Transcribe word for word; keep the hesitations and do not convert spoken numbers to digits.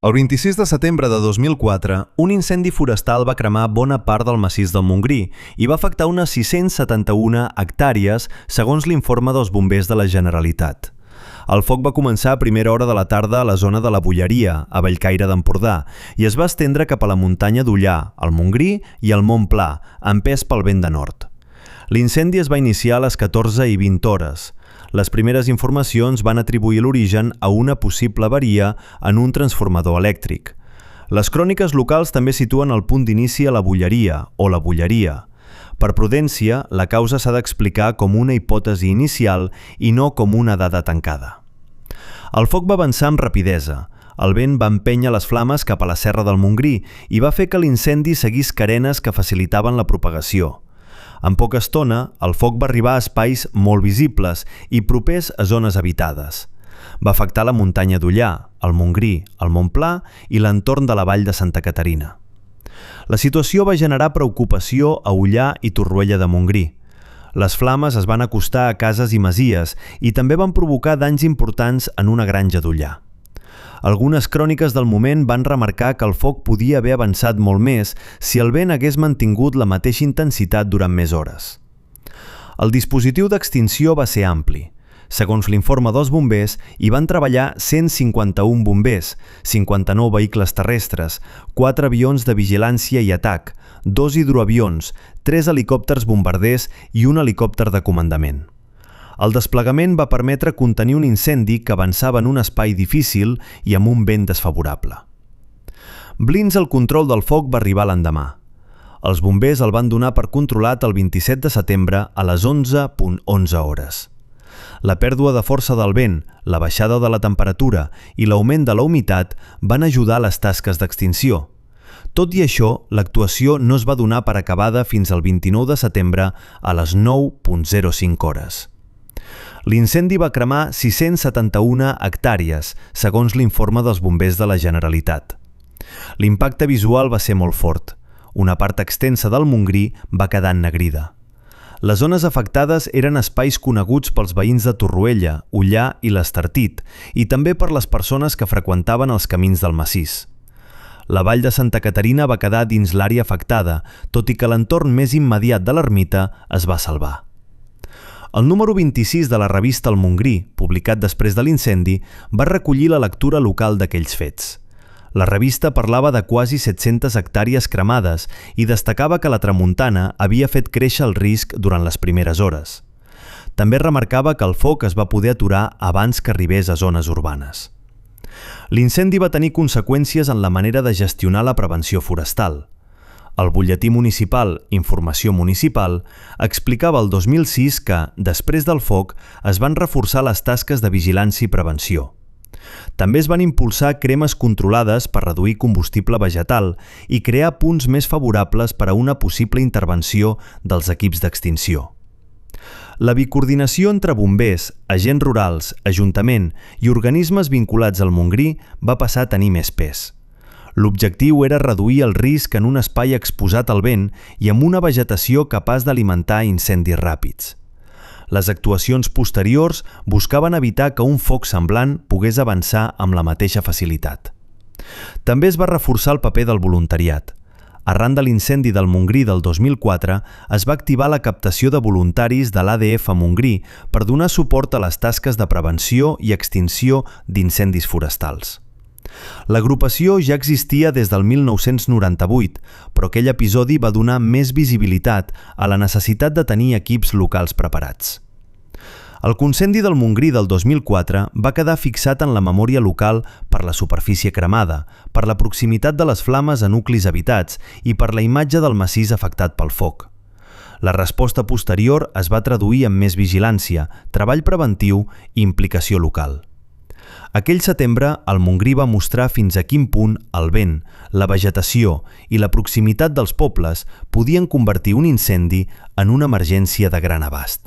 El vint-i-sis de setembre de dos mil quatre, un incendi forestal va cremar bona part del massís del Montgrí i va afectar unes sis-cents setanta-una hectàrees, segons l'informe dels bombers de la Generalitat. El foc va començar a primera hora de la tarda a la zona de la Bulleria, a Bellcaire d'Empordà, i es va estendre cap a la muntanya d'Ullà, el Montgrí i el Mont Pla, empès pel vent de nord. L'incendi es va iniciar a les catorze i vint hores. Les primeres informacions van atribuir l'origen a una possible avaria en un transformador elèctric. Les cròniques locals també situen el punt d'inici a la Bulleria o la Bulleria. Per prudència, la causa s'ha d'explicar com una hipòtesi inicial i no com una dada tancada. El foc va avançar amb rapidesa. El vent va empènyer les flames cap a la serra del Montgrí i va fer que l'incendi seguís carenes que facilitaven la propagació. En poca estona, el foc va arribar a espais molt visibles i propers a zones habitades. Va afectar la muntanya d'Ullà, el Montgrí, el Mont Pla i l'entorn de la vall de Santa Caterina. La situació va generar preocupació a Ullà i Torroella de Montgrí. Les flames es van acostar a cases i masies i també van provocar danys importants en una granja d'Ullà. Algunes cròniques del moment van remarcar que el foc podia haver avançat molt més si el vent hagués mantingut la mateixa intensitat durant més hores. El dispositiu d'extinció va ser ampli. Segons l'informe dels bombers, hi van treballar cent cinquanta-un bombers, cinquanta-nou vehicles terrestres, quatre avions de vigilància i atac, dos hidroavions, tres helicòpters bombarders i un helicòpter de comandament. El desplegament va permetre contenir un incendi que avançava en un espai difícil i amb un vent desfavorable. Blins el control del foc va arribar l'endemà. Els bombers el van donar per controlat el vint-i-set de setembre a les onze punt onze hores. La pèrdua de força del vent, la baixada de la temperatura i l'augment de la humitat van ajudar a les tasques d'extinció. Tot i això, l'actuació no es va donar per acabada fins al vint-i-nou de setembre a les nou punt zero cinc hores. L'incendi va cremar sis-cents setanta-una hectàrees, segons l'informe dels bombers de la Generalitat. L'impacte visual va ser molt fort. Una part extensa del Montgrí va quedar ennegrida. Les zones afectades eren espais coneguts pels veïns de Torroella, Ullà i l'Estartit, i també per les persones que freqüentaven els camins del massís. La vall de Santa Caterina va quedar dins l'àrea afectada, tot i que l'entorn més immediat de l'ermita es va salvar. El número vint-i-sis de la revista El Montgrí, publicat després de l'incendi, va recollir la lectura local d'aquells fets. La revista parlava de quasi set-centes hectàrees cremades i destacava que la tramuntana havia fet créixer el risc durant les primeres hores. També remarcava que el foc es va poder aturar abans que arribés a zones urbanes. L'incendi va tenir conseqüències en la manera de gestionar la prevenció forestal. El butlletí municipal Informació Municipal explicava el dos mil sis que, després del foc, es van reforçar les tasques de vigilància i prevenció. També es van impulsar cremes controlades per reduir combustible vegetal i crear punts més favorables per a una possible intervenció dels equips d'extinció. La bicoordinació entre bombers, agents rurals, ajuntament i organismes vinculats al Montgrí va passar a tenir més pes. L'objectiu era reduir el risc en un espai exposat al vent i amb una vegetació capaç d'alimentar incendis ràpids. Les actuacions posteriors buscaven evitar que un foc semblant pogués avançar amb la mateixa facilitat. També es va reforçar el paper del voluntariat. Arran de l'incendi del Montgrí del dos mil quatre, es va activar la captació de voluntaris de l'A D F Montgrí per donar suport a les tasques de prevenció i extinció d'incendis forestals. L'agrupació ja existia des del mil nou-cents noranta-vuit, però aquell episodi va donar més visibilitat a la necessitat de tenir equips locals preparats. El incendi del Montgrí del dos mil quatre va quedar fixat en la memòria local per la superfície cremada, per la proximitat de les flames a nuclis habitats i per la imatge del massís afectat pel foc. La resposta posterior es va traduir en més vigilància, treball preventiu i implicació local. Aquell setembre, el Montgrí va mostrar fins a quin punt el vent, la vegetació i la proximitat dels pobles podien convertir un incendi en una emergència de gran abast.